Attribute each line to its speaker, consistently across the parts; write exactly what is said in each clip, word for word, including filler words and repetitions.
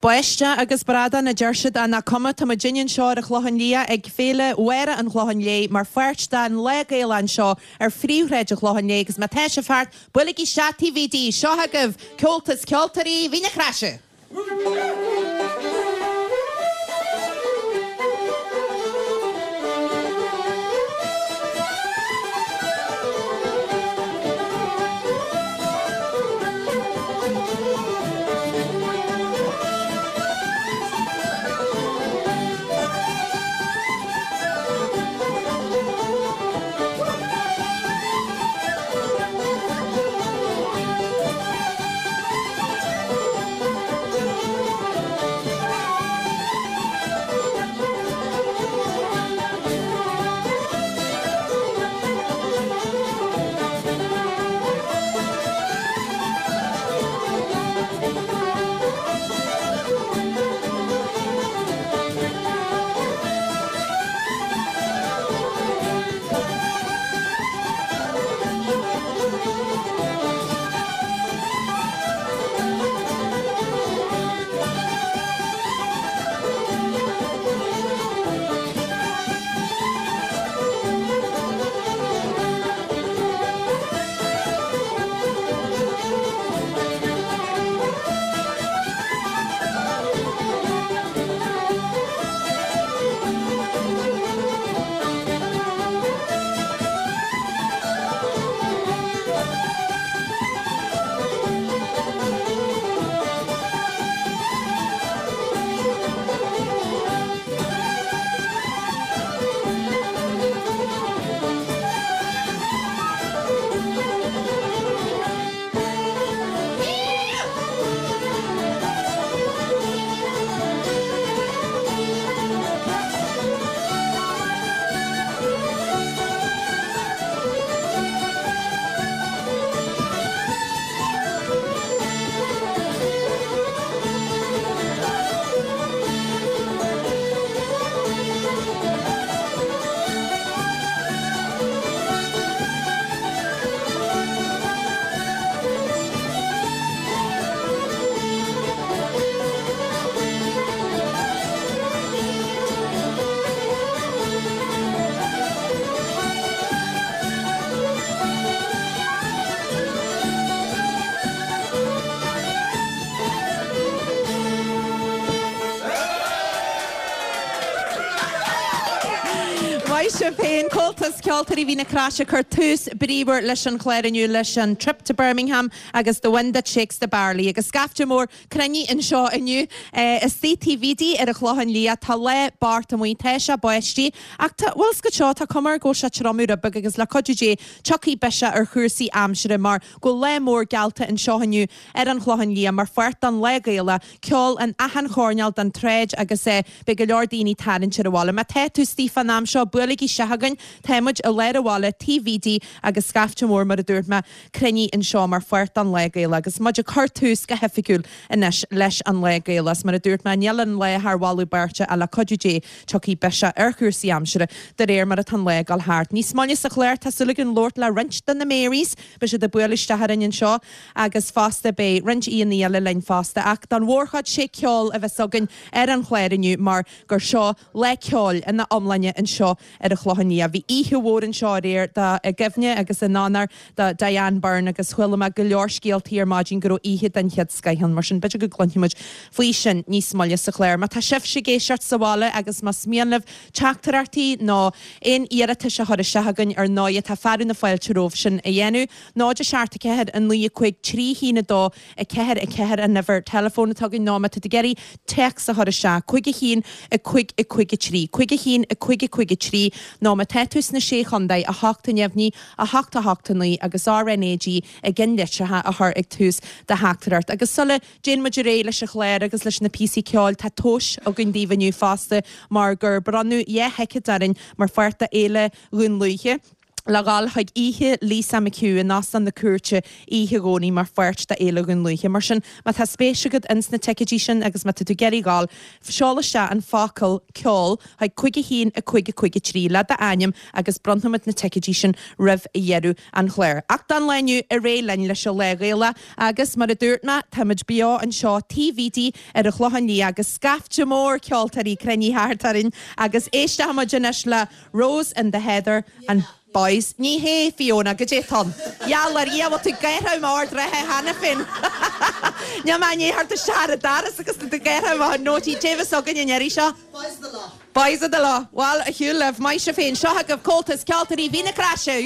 Speaker 1: Báisteach agus bradán a deir siad ach nach cuma, tá muidinne anseo ar an Chlochán Liath ag Féile Mháire an Chlocháin Léith mar pháirt den Lá Gaelach anseo ar phríomhshráid an Chlocháin Léith agus má tá sibh thart, buailigí isteach Taobh Bhídí. Seo agaibh Comhaltas Ceoltóirí Mhín na Craise! Maith sibh féin, Comhaltas Ceoltóirí Mhín na Croise ag cur tús bríomhar leis an chlár inniu leis an Trip to Birmingham agus The Wind That Shakes the Barley agus scaifte mór cruinnithe anseo inniu istigh Taobh Bhídí ar an Chlochán Liath. Tá lá bocht amuigh, tá sé ag báistí ach tá, bhfuil 's agat seo, tá cuma air go bhfuil sé ag triomú rud beag agus le cuidiú Dé tiocfaidh biseach ar chúrsaí aimsire mar go bhfuil lá mór geallta anseo inniu ar an Chlochán Liath mar pháirt den Lá Gaelach, ceol in achan choirnéal den tsráid agus beidh go leor daoine tarraingt ar an bhaile. Má tá tú istigh fán am seo, buailigí isteach chugainn. Tá muid i lár an bhaile, Taobh Bhídí agus scaifte mór, mar a dúirt mé, cruinnithe anseo mar pháirt den Lá Gaelach agus muid ag cur tús go hoifigiúil anois leis an Lá Gaelach. Is mar a dúirt mé, níl an lá thar mholadh beirte ach le cuidiú Dé tiocfaidh biseach ar chúrsaí aimsire de réir mar atá an lá ag dul thart. Níos moille sa chlár tá súil againn labhairt le roinnt de na Marys. Beidh siad ag bualadh isteach orainn anseo agus fosta beidh roinnt aíonna eile linn fosta ach don mhórchuid sé ceol a bheas againn ar an chlár inniu mar gur seo Lá Ceoil ina iomláine anseo ar an Chlochán Liath. Bhí oíche mhór anseo aréir do i gcuimhne agus in onóir do Diane Byrne agus chuala mé go leor scéaltaí ar maidin go raibh oíche den chéad scoith ann mar sin b'fhéidir go gcluinfidh muid faoi sin níos moille sa chlár. Má tá sibhse ag éisteacht sa bhaile agus más mian libh teachtaireachtaí nó aon iarratais a chur isteach chugainn ar ndóigh tá fearadh na fáilte romhaibh sin a dhéanamh. náid a seacht a ceathair a naoi a cúig trí haon a dó a ceathair a ceathair an uimhir teileafóin atá againn nó má tá tú ag iarraidh téacs a chur isteach, cúig a haon a cúig a cúig a trí, cúig a haon a cúig a cúig a trí nó má tá tú sna Sé Chontae, a hocht a neamhní, a hocht a hocht a naoi agus R N A G i gceannlitreacha a chur ag tús do theachtaireacht. Agus sula dtéann muid ar aghaidh leis an chlár agus leis na píosaí ceoil, tá tomhais againn daoibh inniu fosta mar gur bronnadh dhá thicéad orainn mar pháirt de Fhéile Dhún Lúiche. Le dhul chuig oíche Lisa McHugh in Óstán na Cúirte oíche Dhomhnaigh mar pháirt de Fhéile Dhún Lúiche. Mar sin, má tá spéis agat ins na ticéidí sin agus má tá tú ag iarraidh dhul, seol isteach an focal 'ceol' chuig cúig a haon a cúig a cúig a trí le d'ainm agus bronnfaimid na ticéidí sin roimh dheireadh an chláir. Ach don lá inniu, ar aghaidh linn leis an Lá Gaelach agus mar a dúirt mé, táimid beo anseo Tigh Bhídí ar an Chlochán Liath agus scaifte mór ceoltóirí cruinnithe thart orainn agus éistfimid anois le Rose in the Heather and Boys. Ní hé, Fiona, goidé atá ann? Gheall ar Dhia, bhfuil tú ag gáire amach ard reithe cheana féin. Níl mé i ndiaidh theacht isteach ar an doras agus tú ag gáire amach an nótaí. Cé bheas againn an iarraidh seo?
Speaker 2: Boys of the Lough.
Speaker 1: Boys of the Lough. Bhuel, ar shiúl libh, maith sibh féin. Seo agaibh Comhaltas Ceoltóirí Mhín na Craise.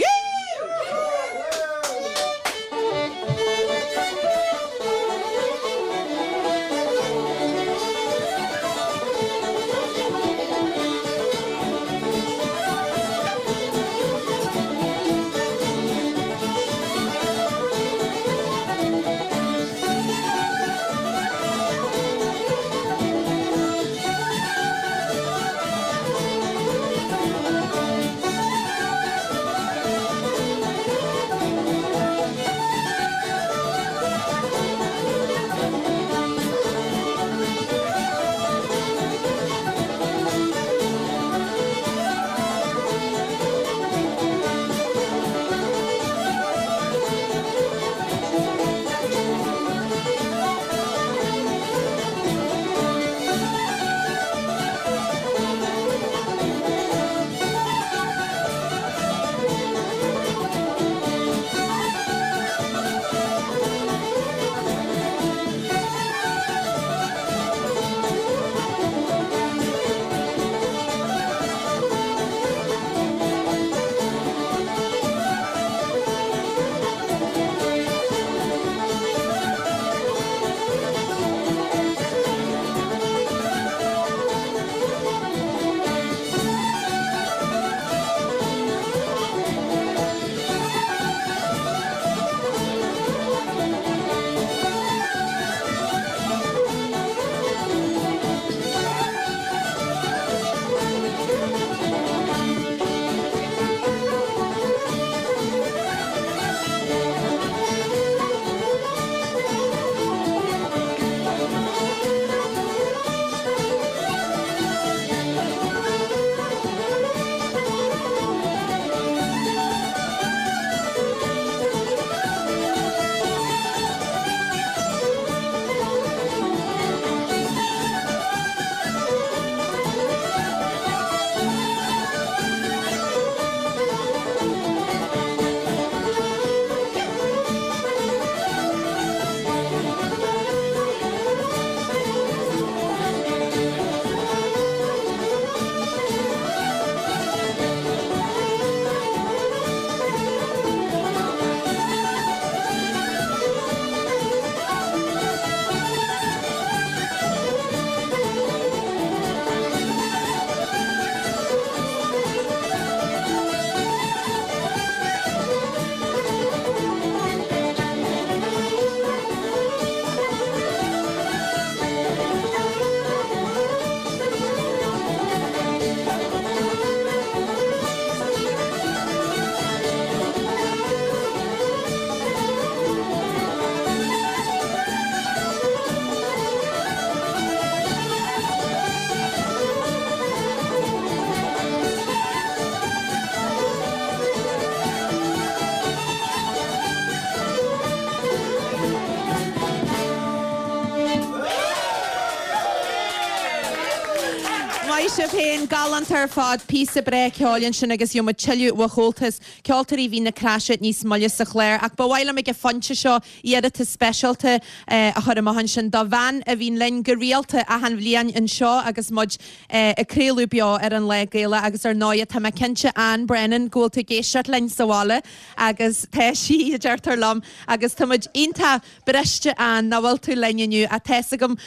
Speaker 1: Maith sibh féin, galánta ar fad, píosa breá ceoil ansin agus gheobhaidh muid tuilleadh ó Chomhaltas Ceoltóirí Mhín na Craise níos moille sa chlár. Ach ba mhaith liom ag an phointe seo iarratas speisialta a chur amach ansin do bhean a bhíonn linn go rialta achan bhliain anseo agus muid ag craoladh beo ar an Lá Gaelach agus ar ndóigh tá mé cinnte Anne Brennan go bhfuil tú ag éisteacht linn sa bhaile agus tá sí, a deirtear liom, agus tá muid iontach briste Anne nach bhfuil tú linn inniu ach tá's agam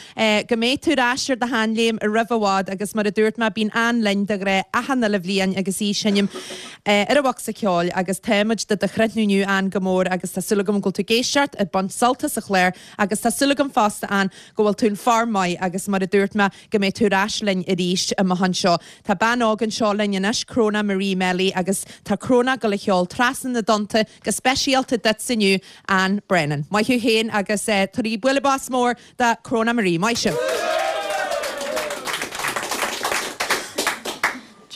Speaker 1: go mbeidh tú ar ais ar do sheanléim roimh i bhfad agus mar a mar a dúirt mé bíonn Ann linn de ghnáth achan uile bhliain agus í ag seinm ar an bhocsa ceoil agus táimid do do chrothú inniu Ann go mór agus tá súil agam go bhfuil tú ag éisteacht ag baint sult as an chlár agus tá súil agam fosta Ann go bhfuil tú in form maith agus mar a dúirt mé go mbeidh tú ar ais linn arís amach anseo. Tá bean óg anseo linn anois Crona Marie Melly agus tá Crona ag gabháil a cheol Trasna na dTonnta go speisialta duit inniu Ann Brennan. Maith thú féin agus eh, tabhair bualadh bos mór do Crona Marie. Maith sibh.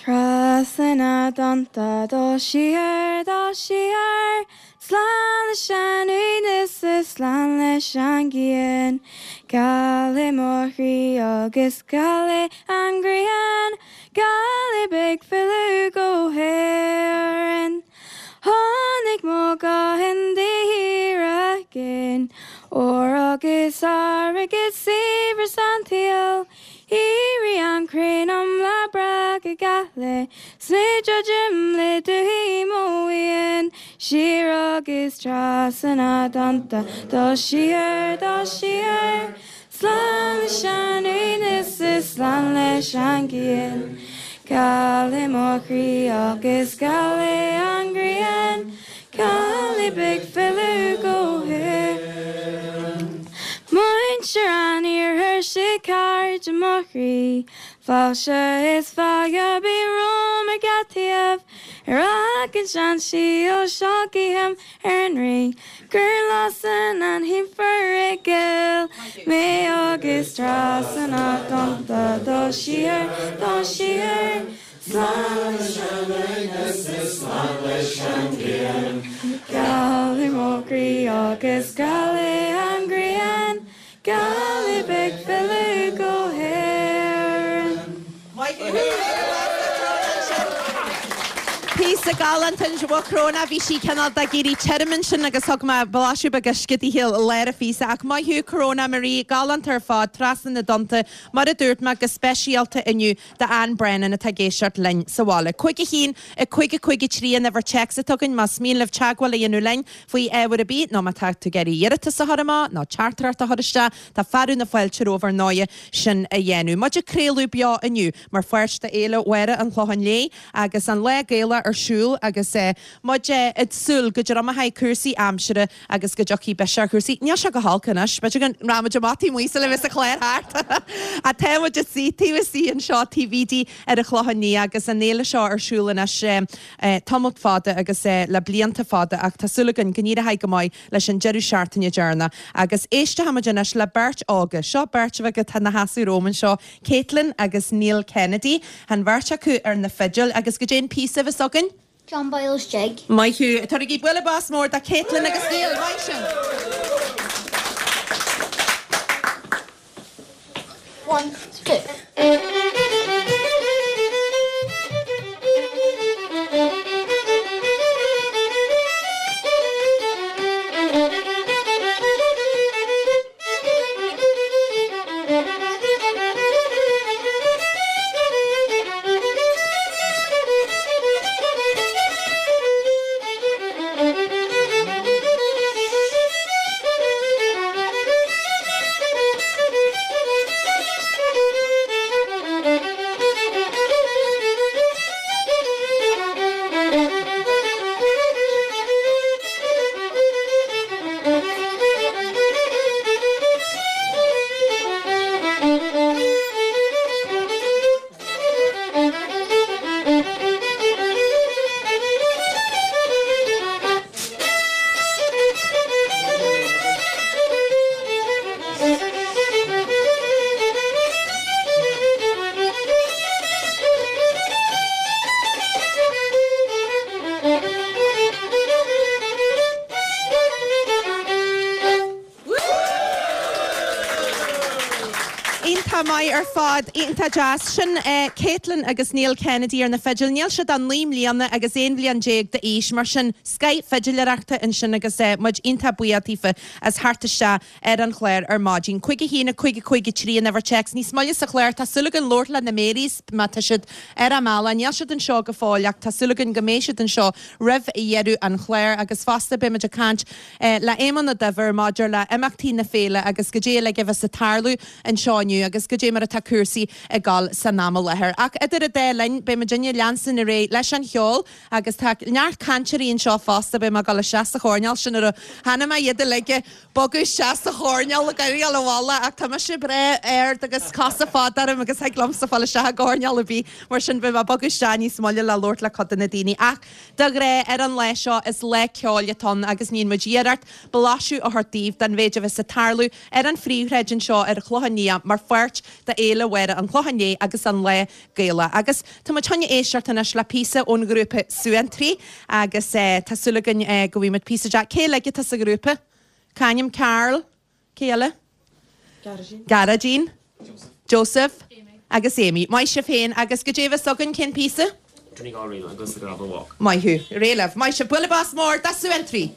Speaker 2: Trasna na dtonnta dul siar dul siar Slán leis an uaigneas is slán leis an gcian Geal é mo chroí agus geal é an ghrian Geal é beag filleadh go hÉirinn Tháinig mo ghuth de shíor i gcéin Ór agus airgead saibhreas an tsaoil Éirigh an crainn um lá breá go geal 's mé ag druidim le dúthaigh mo mhian Siar agus trasna na dtonnta dul siar dul siar Slán leis an uaigneas is slán leis an gcian Geal é mo chroí agus geal é an ghrian Geal é beag filleadh go hÉirinn. Muintir an iarthair sibh cairde mo chroí, Fáilte is fada bí romham ar gach taobh, Ar fhág an seansíol seo guím ar an Rí, Gur lasann an thimpire gil mé agus trasna na dtonnta dul siar, dul siar, Slán leis an uaigneas is slán leis an gcian. Geal é mo chroí agus geal é an ghrian, Geal é beag filleadh go hÉirinn.
Speaker 1: Píosa galánta ansin Crona bhí sí cineál ag éirí tirim ansin agus thug mé blaiseadh beag uisce di i lár an phíosa ach maith thú Crona Marie galánta ar fad trasna na dtonnta mar a dúirt mé go speisialta inniu d'Ann Brennan atá ag éisteacht linn sa bhaile. Cúig a haon a cúig a cúig a trí an uimhir téacs atá againn más mian libh teagmháil a dhéanamh linn faoi ábhar ar bith nó má tá tú ag iarraidh iarratas a chur amach nó teachtaireacht a chur isteach tá fearadh na fáilte romhaibh ar ndóigh sin a dhéanamh. Muid ag craoladh beo inniu mar pháirt d'Fhéile Mháire an Chlocháin Léith agus an Lá Gaelach ar siúl agus muid ag súil go dtriomaífidh cúrsaí aimsire agus go dtiocfaidh biseach ar chúrsaí. Níl sé go holc anois, b'fhéidir go rachaimid amach taobh amuigh sula mbeidh an clár thart. Ach tá muid ag suí taobh istigh anseo taobh istigh ar an Chlochán Liath agus an fhéile seo ar siúl anois tamall fada agus le blianta fada ach tá súil againn go n-éireoidh go maith leis an deireadh seachtaine deireanach. Agus éistfimid anois le beirt óga. Seo beirt bheag atá ina seasamh romham anseo, Caitlin agus Neil Kennedy. An bheirt acu ar na fidil agus goidé an píosa a bheas againn?
Speaker 3: John Boyle's Jig.
Speaker 1: Maith thú. Tabhairigí bualadh bos mór do Caitlin agus Neil. Maith sibh.
Speaker 3: One, two.
Speaker 1: Iontach maith ar fad, iontach deas. Sin Caitlin agus Neil Kennedy ar na fidil. Níl siad ach naoi mbliana agus aon bhliain déag d'aois, mar sin scoth fidiléireachta ansin agus muid iontach buíoch daofa as theacht isteach ar an chlár ar maidin. Cúig a haon, a cúig a cúig a trí an uimhir téacs. Níos moille sa chlár, tá súil againn labhairt le na Marys má tá siad ar a mbealach. Níl siad anseo go fóill ach tá súil againn go mbeidh siad anseo roimh dheireadh an chláir agus fosta beimid ag caint le Éamonn Ó Duibhir maidir le imeachtaí na féile agus goidé uilig a bheas ag tarlú anseo inniu agus goidé mar mar atá cúrsaí ag dul san am i láthair. Ach idir an dá linn beidh muidinne ag leanstan ar aghaidh leis an cheol agus tá neart cainteoirí anseo fosta beidh mé ag dul isteach sa choirnéal sin ar cheana mé iad uilig ag bogadh isteach sa choirnéal ag éirí abhaile ach tá mise breá ard agus cosa fada orm agus thig liomsa fáil isteach i gcoirnéal ar bith mar sin beidh mé ag bogadh isteach níos moille le labhairt le cuid de na daoine. Ach de ghnáth ar an lá seo is lá ceoil atá ann agus níonn muid iarracht blaiseadh a thabhairt daoibh den mhéid a bheas ag tarlú ar an phríomhshráid anseo ar an Chlochán Liath mar pháirt de Fhéile Mháire an Chlocháin Léith agus an Lá Gaelach. Agus tá muid chun éisteacht anois le píosa ón ghrúpa Suantraí agus tá súil againn go bhfaighidh muid píosa de. Cé uilig atá sa ghrúpa? C'ainm Carl? Cé eile? Gearóidín. Gearóidín. Joseph. Amy. Agus Amy. Maith sibh féin agus goidé a bheas againn cén píosa?
Speaker 4: Donegal Reel agus The Gravel Walk.
Speaker 1: Maith thú. Réidh libh. Maith sibh. Bualadh bos mór do Suantraí.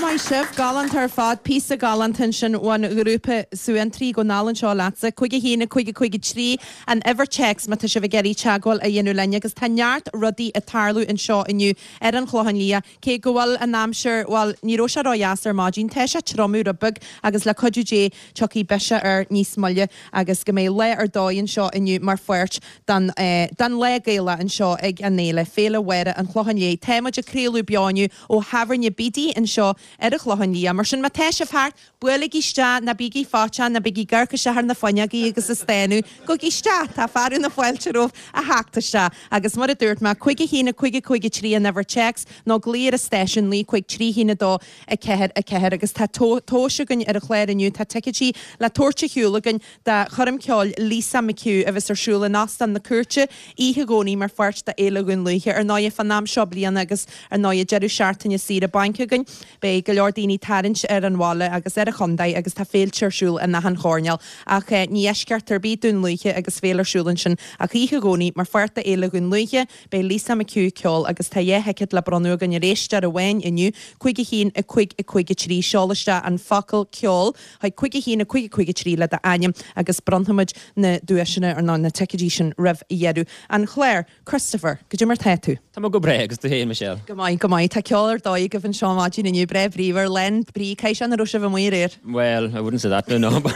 Speaker 1: Maith sibh, galánta ar fad, píosa galánta ansin ón ghrúpa Suantraí go n-álainn anseo leatsa. Cúig a haon, a cúig a cúig a trí an uimhir téacs má tá sibh ag iarraidh teagmháil a dhéanamh linn agus tá neart rudaí ag tarlú anseo inniu ar an Chlochán Liath. Cé go bhfuil an aimsir, bhuel, ní raibh sé ródheas ar maidin, tá sé ag triomú rud beag agus le cuidiú Dé tiocfaidh biseach air níos moille agus go mbeidh lá ar dóigh anseo inniu mar pháirt den den Lá Gaelach anseo ag an fhéile, Féile Mháire an Chlocháin Léith. Tá muid ag craoladh beo inniu ó Thábhairne Biddy anseo ar an Chlochán Liath. Mar sin, má tá sibh thart, buailigí isteach, ná bígí faitíoch, ná bígí ag amharc isteach ar na fuinneogaí agus ag stánadh. Gabhaigí isteach, tá fearadh na fáilte romhaibh a theacht isteach. Agus mar a dúirt mé, cúig a haon, a cúig a cúig a trí an uimhir téacs, nó glaoigh ar an stáisiún, naoi cúig trí haon a dó a ceathair a ceathair. Agus tá tomhais againn ar an chlár inniu, tá ticéidí le tabhairt ar shiúl againn do choirm ceoil Lisa McHugh a bheas ar siúl in Óstán na Cúirte oíche Dhomhnaigh mar pháirt de Fhéile Dhún Lúiche. Ar ndóigh, fán am seo bliana agus ar ndóigh deireadh seachtaine saoire bainc againn, beidh go leor daoine tarraingt ar an bhaile agus ar an chontae agus tá féilte ar siúl in achan choirnéal. Ach ní eisceacht ar bith Dún Lúiche agus féile ar siúl ansin ach oíche Dhomhnaigh mar pháirt de Fhéile Dhún Lúiche, beidh Lisa McHugh ag ceol agus tá dhá thicéad le bronnadh againn ar éisteoir amháin inniu, cúig a haon, a cúig, a cúig a trí. Seol isteach an focal 'ceol' chuig cúig a haon, a cúig, a cúig a trí le d'ainm agus bronnfaimid na duaiseanna, ar ndóigh, na ticéidí sin roimh dheireadh an chláir. Christopher, goidé mar tá tú?
Speaker 4: Tá mé go breá agus tú féin, Michelle?
Speaker 1: Go maith, go maith. Tá ceol ar dóigh agaibh anseo maidin inniu, breá bríomhar. bríomhar lán brí cé an raibh sibh amuigh aréir.
Speaker 5: Well, I wouldn't say that no, no. But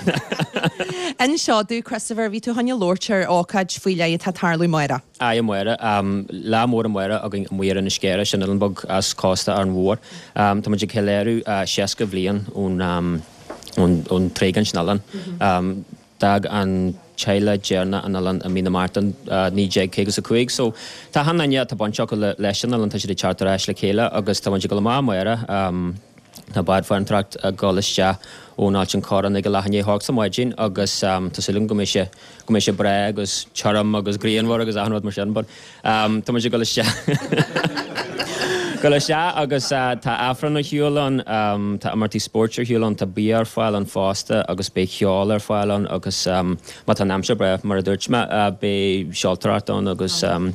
Speaker 1: Inis domh Christopher bhí tú chun labhairt ar ócáid faoi leith atá ag tarlú amárach.
Speaker 5: Aye amárach um, lá mór amárach againn amuigh ar Inis Caorach sin oileán beag as cósta Árainn Mhór. Um, Tá muid ag ceiliúradh uh, seasca bliain ón um, ón, ón tréigean sin oileán. Um, D'fhág an teaghlach deireanach an oileán i mí na Márta uh, naoi déag caoga is a cúig, so tá achan duine atá baint acu le, leis an oileán tá siad ag teacht ar ais le chéile agus tá muid ag dul amach amárach um, Tá bád farantóireacht ag dul isteach ón Ailt an Chorráin ag a leath i ndiaidh a hocht sa maidin agus um, tá súil agam go mbeidh sé go mbeidh sé breá agus tirim agus grianmhar agus achan rud mar sin, but um, tá muid ag dul isteach Dul isteach agus uh, tá Aifreann ar siúl ann, um, tá imeachtaí spóirt ar siúl ann, tá bia ar fáil ann fosta agus beidh ceol ar fáil ann agus um, má tá an aimsir breá mar a dúirt mé uh, beidh seoltóireacht ann agus um,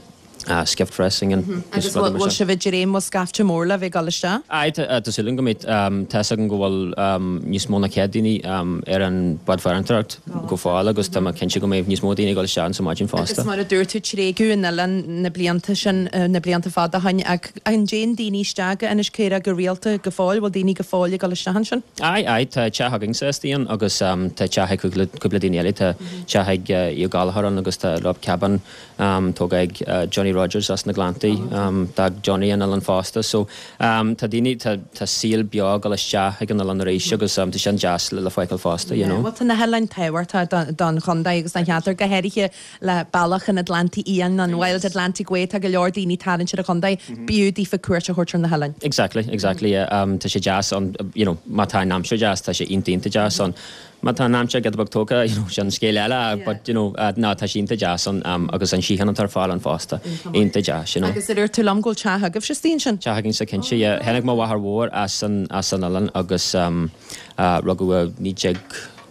Speaker 5: uh, skiff racing and
Speaker 1: Agus bhfuil sibh ag dréim bhfuil scaifte mór le bheith ag dul isteach?
Speaker 5: Aye, tá súil agam go mbeidh tá fhios agam go bhfuil um, níos mó ná céad daoine um, ar an bád farantóireacht go fóill agus tá mé cinnte go mbeidh níos mó daoine ag dul isteach sa maidin
Speaker 1: Agus
Speaker 5: fosta.
Speaker 1: mar a dúirt tú tréigeadh an oileán na blianta sin eh, na blianta fada ó shin ach an dtéann daoine isteach Inis Caorach go rialta go fóill, bhfuil daoine go fóill ag dul isteach ansin?
Speaker 5: Aye, aye, tá teach againn sa istigh agus um, tá teach ag cúpla cúpla daoine eile, tá teach ag uh, Aodh Gallagher ann agus tá log cabin um, tógtha ag uh, Johnny Rogers as na Gleanntaí, um, d'fhág Johnny an oileán fosta, so um, tá daoine tá, tá saol beo ag dul isteach ag an oileán arís agus um, tá sin deas le le feiceáil fosta, you know.
Speaker 1: Well tá na hoileáin tábhachtach don chontae agus don cheantar go háirithe le bealach an Atlantaigh Fhiáin an Wild Atlantic Way tá go leor daoine tarraingt ar an chontae b'fhiú daofa cuairt a thabhairt ar na hoileáin.
Speaker 5: Exactly, exactly. Yeah. Um, tá sé deas an, you know, má tá an aimsir deas, tá sé iontach iontach deas an. Má tá an aimsir giota beag tógtha, you know, sin scéal eile, but you know, uh, ná tá sé iontach deas an, um, agus an síocháin atá ar fáil ann fosta. Iontach deas, you know.
Speaker 1: Agus ar dúirt tú liom go bhfuil teach agaibh istigh ansin.
Speaker 5: Teach againn sa cinnte, yeah. Tháinig mo mháthair mhór as an, as an oileán agus um, uh, rugadh naoi déag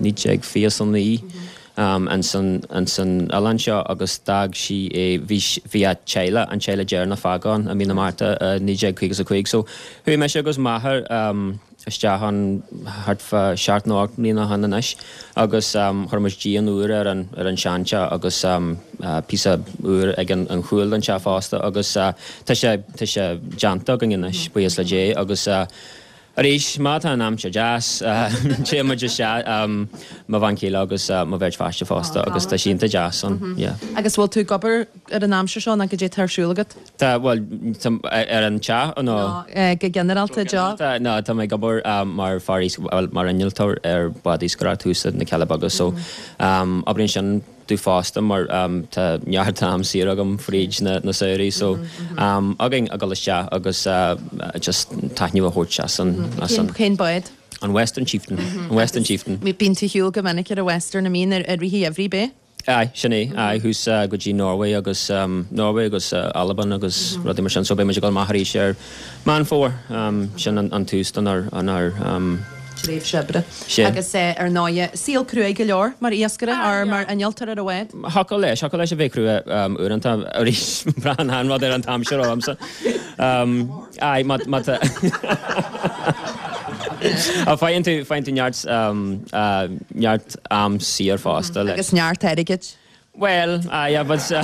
Speaker 5: naoi déag fiche is a naoi. Um, an san an san oileán seo agus d'fhág sí é bhí bhí a teaghlach an teaghlach deireanach fágtha ann i mí na Márta uh, naoi déag caoga is a cúig. So chuaigh mise agus m'athair um, isteach ann thart fá seacht nó ocht mbliana ó shin anois agus um, chuir muid díon úr ar an ar an seanteach agus um, uh, píosa úr ag an, an chúl den teach fosta agus uh, tá sé tá sé déanta againn anois buíochas le Dé agus uh, Arís má tá an aimsir deas téann muid isteach um, mo bhean chéile agus uh, mo bheirt pháiste fosta agus tá sé iontach deas ann. Yeah.
Speaker 1: Agus bhfuil tú ag obair ar an aimsir seo ná goidé atá ar siúl agat?
Speaker 5: Tá well ar an teach nó
Speaker 1: Eh, go ginearálta job?
Speaker 5: Tá ná tá mé ag obair um, mar fear well, mar innealtóir ar bád iascaireachta thuas na Cealla Beaga so um, oibríonn sin domh fosta mar um, tá neart am saor agam fríd na, na samhraí so um, againn a dul isteach agus uh, just taitneamh a thabhairt as an, as an,
Speaker 1: Cén bád?
Speaker 5: an Western Chieftain an Western Chieftain.
Speaker 1: Bíonn tú ar shiúl go minic ar a Western a mín ar rihí every bé?
Speaker 5: Aye, sin é aye thuas uh, go dtí Norway agus um, Norway agus uh, Albain agus rudaí mar sin so beidh muid ag dul amach arís ar Meán Fómhair um, sin an, an tús don ár an ár um,
Speaker 1: Tréimhse oibre.
Speaker 5: Sin.
Speaker 1: Agus eh, ar ndóigh saol crua go leor mar iascaire ar mar innealtóir ar an bhád.
Speaker 5: Thiocfadh leis, thiocfadh leis a bheith crua um, uaireanta arís braitheann an rud ar an t-aimsir ormsa. Um, Aye, má má tá A faigheann tú faigheann tú neart um, uh, neart am saor fosta leis.
Speaker 1: Agus neart airgid.
Speaker 5: Well, uh, yeah, but uh,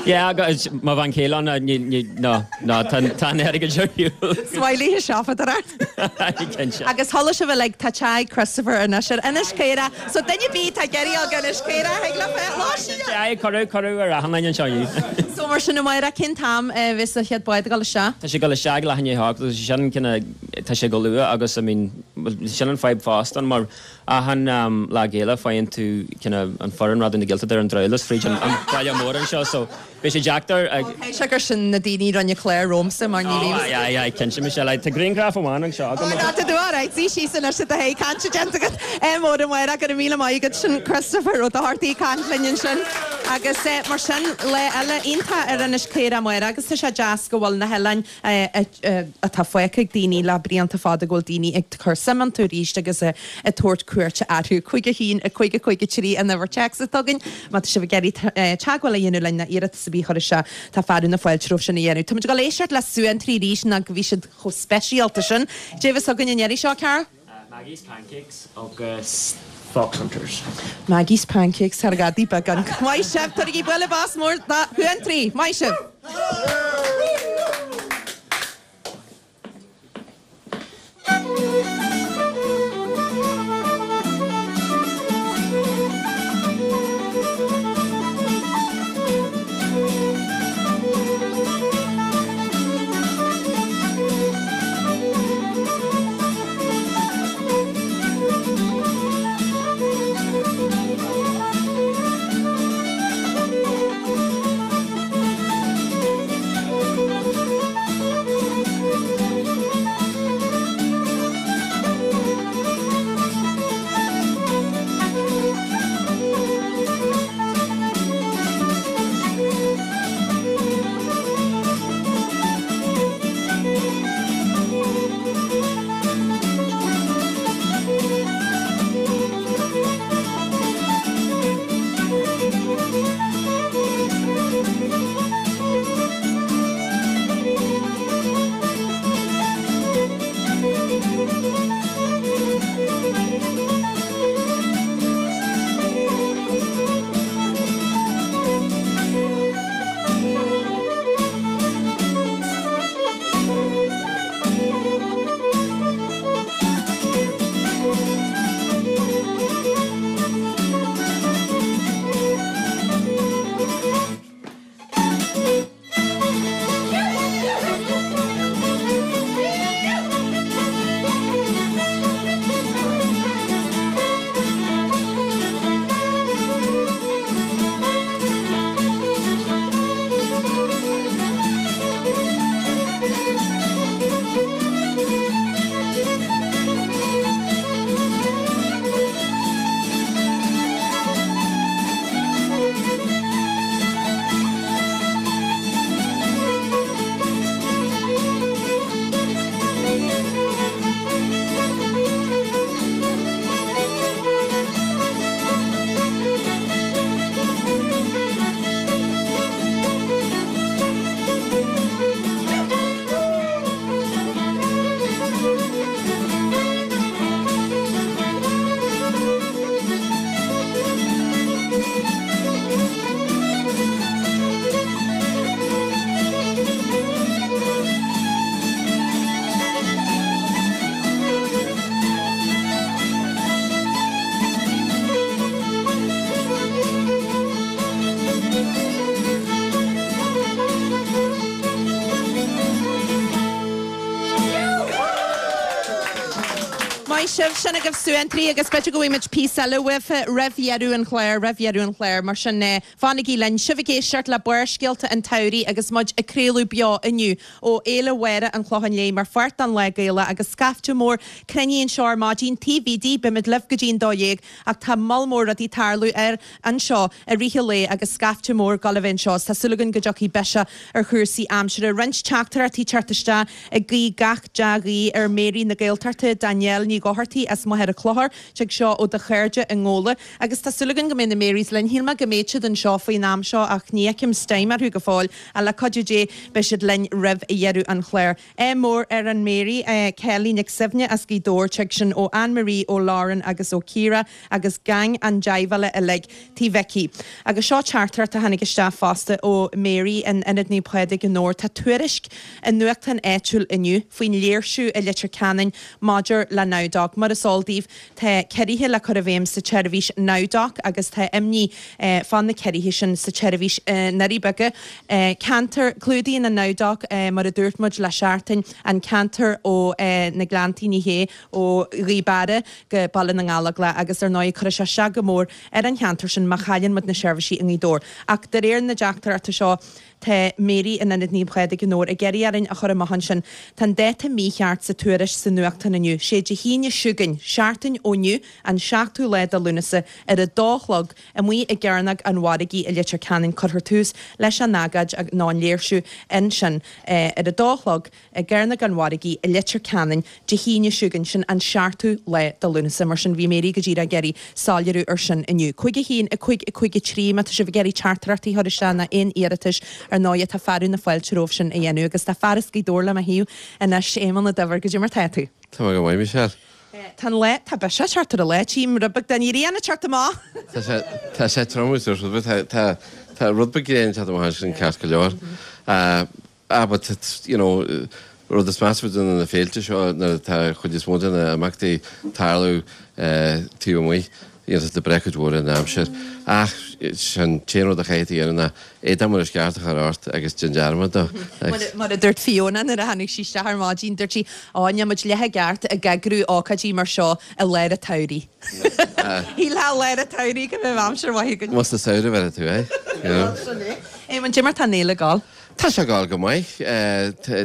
Speaker 5: yeah, agus má bhean chéile ní ní no no tá tá airgead siúl.
Speaker 1: Smiley siopadóir.
Speaker 5: Cinnte.
Speaker 1: Agus chuala sibh like tá teach Christopher anois ar Inis Caorach, so duine ar bith atá ag iarraidh Inis Caorach ag le fe lá
Speaker 5: Aye, cuireadh cuireadh ar achan duine anseo.
Speaker 1: So mar sin amárach cén t-am a bheas an chéad bád ag dul isteach.
Speaker 5: Tá sé dul isteach leath i ndiaidh a hocht agus sin cine tá sé go luath agus I mean sin an fadhb fosta mar achan um, lá géile faigheann tú cine an foireann Raidió na Gaeltachta ar an driollas fríd an an baile mór anseo so beidh sé deacair ag
Speaker 1: Sé gur sin na daoine rinne clár romhamsa mar ní bhím.
Speaker 5: Aye, aye, aye, cinnte Michelle, tá grianghraf amháin anseo agam.
Speaker 1: Ná tú alright, sí sí san se hé cainte déanta agat mór an mhair go míle maith agat sin Christopher Ó Dochartaigh caint linn sin. Agus eh, mar sin lá eile iontach ar Inis Caorach amárach agus tá sé deas go bhfuil na hoileáin eh, eh, atá fágtha ag daoine le blianta fada go bhfuil daoine ag cur suim iontu arís agus eh, ag tabhairt cuairte orthu cúig a haon a cúig a cúig a trí an uimhir téacs atá againn, má tá sibh ag iarraidh teagmháil a dhéanamh linn ná iarratas ar bith a chur isteach tá fearadh na fáilte romhaibh sin a dhéanamh. Tá muid ag dul éisteacht le Suantraí arís ná go bhí siad chomh speisialta sin. Cad é atá againn an iarraidh seo Cara?
Speaker 4: Maggie's Pancakes agus Fox Hunters.
Speaker 1: Maggie's Pancakes ar gadaí beagán. Maith sibh tabhair bualadh bos mór do Shuantraí, Maith sibh. Maith sibh, sin agaibh Suantraí agus b'fhéidir go bhfaighimid píosa eile uaibh roimh dheireadh an chláir, roimh dheireadh an chláir, mar sin fanaigí linn. Sibh ag éisteacht le Barrscéalta an tSamhraidh agus muid ag craoladh beo inniu ó Fhéile Mháire an Chlocháin Léith mar pháirt den Lá Gaelach agus scaifte mór cruinnithe anseo ar maidin taobh Bhídí, beimid libh go dtí an dó dhéag ach tá moll mór rudaí ag tarlú ar anseo i rith an lae agus scaifte mór ag gabháil a bheith anseo is tá súil againn go dtiocfaidh biseach ar chúrsaí aimsire. Roinnt teachtaireachtaí ag teacht isteach ag guí gach dea-ghuí ar Mary na Gaeltachta, Danielle Ní Dhochartaigh as Machaire Chlochair, tig seo ó do chairde i nGóla agus tá súil againn go mbeidh na Marys linn. Shíl mé go mbeadh siad anseo faoin am seo ach ní fheicim steam orthu go fóill ach le cuidiú Dé beidh siad linn roimh dheireadh an chláir. Ádh mór ar an Mary, Kelly Nic Suibhne as Gaoth Dobhair, tig sin ó Anne Marie, ó Lauren agus ó Ciara agus gang an Deighbhile uilig Tí Mhicí. Agus seo teachtaireacht a tháinig isteach fosta ó Mary in Ionad Naomh Pádraig i nDobhar. Tá tuairisc i nuachtán áitiúil inniu faoin léirsiú i Leitir Ceanainn maidir le NowDoc. Mar is eol daoibh, tá ciorruithe le cur i bhfeidhm sa tseirbhís NowDoc agus tá imní fá na ciorruithe sin sa tseirbhís i nDoirí Beaga. Ceantar, Clúdaíonn an NowDoc, mar a dúirt muid le seachtain, an ceantar ó na Gleanntaí, ní hé, ó Ghaoth Beara go Baile na nGallóglach agus ar ndóigh cuirfidh sé isteach go mór ar an cheantar sin má chailleann muid na seirbhísí i nGaoth Dobhair. Ach de réir na dteachtaireachta seo, tá Mary in Ionad Naomh Pádraig i nDobhar ag iarraidh orainn a chur amach ansin. Tá an dáta mícheart sa tuairisc sa nuachtán inniu. Sé Dé hAoine seo chugainn, seachtain ó inniu, an seachtú lá de Lúnasa, ar a dó a chlog, amuigh i gCearnóg an Mhargaidh i Leitir Ceanainn. Cuirfear tús leis an agóid nó an léirsiú ansin ar a dó a chlog i gCearnóg an Mhargaidh i Leitir Ceanainn Dé hAoine seo chugainn, sin an seachtú lá de Lúnasa. Mar sin, bhí Mary go díreach ag iarraidh soiléiriú ar sin inniu. Cúig a haon, a cúig, a cúig a trí, má tá sibh ag iarraidh teachtaireachtaí a chur isteach nó aon iarratais, ar ndóigh, tá fearadh na fáilte romhaibh sin a dhéanamh agus tá fear as Gaoth Dobhair le mo thaobh anois, Éamonn Ó Duibhir, goidé mar tá tú?
Speaker 6: Tá mé go maith, Michelle.
Speaker 1: Tá an lá, tá biseach ag teacht ar an lá, tchím rud beag den ghrian ag teacht amach.
Speaker 6: Tá sé, tá sé trom agus rud beag, tá, tá, tá rud beag gréine ag teacht amach ansin ceart go leor. Ah, but it's, you know, rud is measa de na féilte seo nuair atá chuid is mó de na imeachtaí tarlú taobh amuigh, you know, tá breith cuid mhór ar an aimsir. Ach sin t-aon rud a chaithfidh tú a dhéanamh ná éadach mar is ceart a chur ort agus déan dearmad dó.
Speaker 1: Mar a dúirt Fiona nuair a tháinig sí isteach ar maidin, dúirt sí, Ó, níl muid leath i gceart ag eagrú ócáidí mar seo i lár an tsamhraidh. Shílfeá i lár an tsamhraidh go mbeadh aimsir mhaith againn.
Speaker 6: Más sa samhradh a bheir tú é, you know.
Speaker 1: Sin é. Éamonn, goidé mar tá an fhéile ag gabháil?
Speaker 6: Tá sé ag gabháil go maith.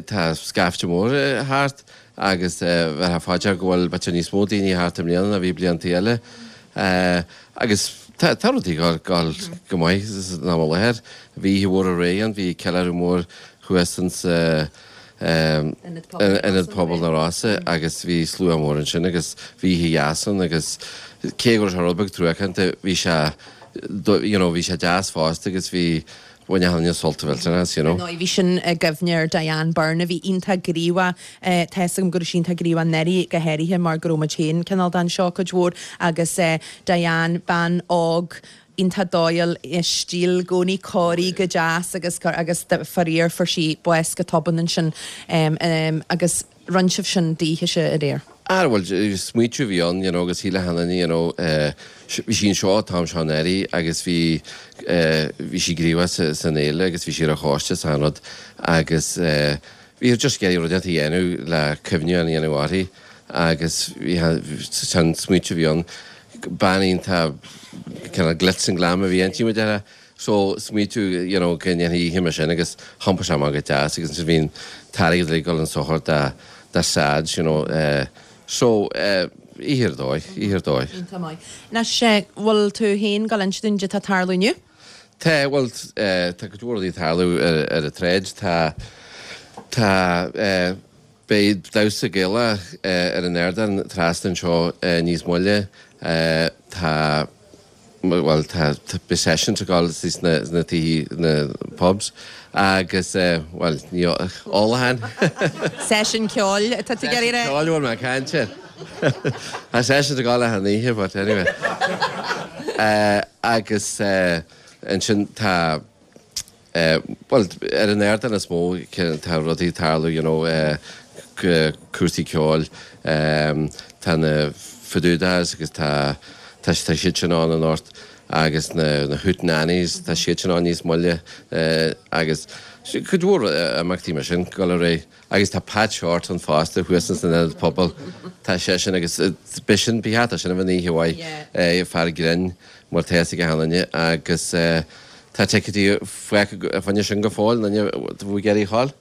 Speaker 6: Tá scaifte mór thart agus bheifeá fá dear go bhfuil b'fhéidir níos mó daoine thart i mbliana ná bhí blianta eile. Agus tá rudaí ag gabháil go maith san am i láthair. Bhí oíche mhór aréir ann, bhí ceiliúradh mór thuas insa Ionad Pobail na Rosa agus bhí slua mór ansin agus bhí oíche dheas ann agus cé go raibh sé rud beag truacánta bhí sé you know bhí sé deas fosta agus bhí Bhain achan duine sult mhillteanach as, you know.
Speaker 1: Ar ndóigh, bhí sin i gcuimhne ar Diane Byrne a bhí iontach gníomhach. Tá 'fhios agam go raibh sí iontach gníomhach anuraidh go háirithe mar go raibh muid féin cineál den seo cuid mhór agus Diane, bean óg, iontach dóighiúil, i stíl i gcónaí cóirithe go deas agus agus faraor fuair sí bás go tobann ansin agus rinne sibh sin daoithe aréir.
Speaker 6: Ah bhuel, smaoitiú a bhí ann, you know, agus shíl achan duine, you know, bhí sí anseo an t-am seo anuraidh agus bhí, bhí sí gníomhach sa, san fhéile agus bhí sí ar an choiste is achan rud agus bhí just ag iarraidh rud inteacht a dhéanamh le cuimhneamh a dhéanamh uirthi agus bhí, sin smaoitiú a bhí ann. Bean iontach kind of glitz and glam a bhí inti, mar a déarfá. So, smaoitiú, you know, go ndéanfaí oíche mar sin agus thiompaigh sé amach go deas agus ansin bhí an t-airgead uilig ag dul chun sochair dá, dá SADS, you know, eh, so, eh, oíche ar dóigh, oíche ar dóigh.
Speaker 1: Iontach maith. Anois, eh, bhfuil tú féin ag gabháil a inse dúinn goidé atá ag tarlú inniu?
Speaker 6: Tá, bhuel, eh, tá cuid mhór rudaí ag tarlú ar, ar an tsráid. Tá, tá, eh, beidh damhsa Gaelach, eh, ar an ardán trasna anseo, eh, níos moille. Eh, tá. bhuel tá beidh sessions ag dul sna sna tithe na pubs agus bhuel ní ólacháin.
Speaker 1: Session ceoil atá tú ag iarraidh a rá?
Speaker 6: Session ceoil a bhfuil mé ag caint air. Tá sessions ag dul achan oíche but anyway. Agus ansin tá Bhuel, ar an ardán is mó tá rudaí ag tarlú, you know, cúrsaí ceoil, tá na Fadúdaghs agus tá tá tá siad sin ann anocht agus na na Hootenannies tá siad sin ann níos moille agus cuid mhór imeachtaí mar sin ag dul ar aghaidh agus tá Pat Shortt ann fosta thuas san ionad pobail tá seisean agus b'shin b'shin sin a bheidh oíche mhaith fear grinn mar tá a fhios ag achan duine agus tá ticéidí fágtha fá choinne sin go fóill aon duine a bhfuil ag iarraidh a ghabháil.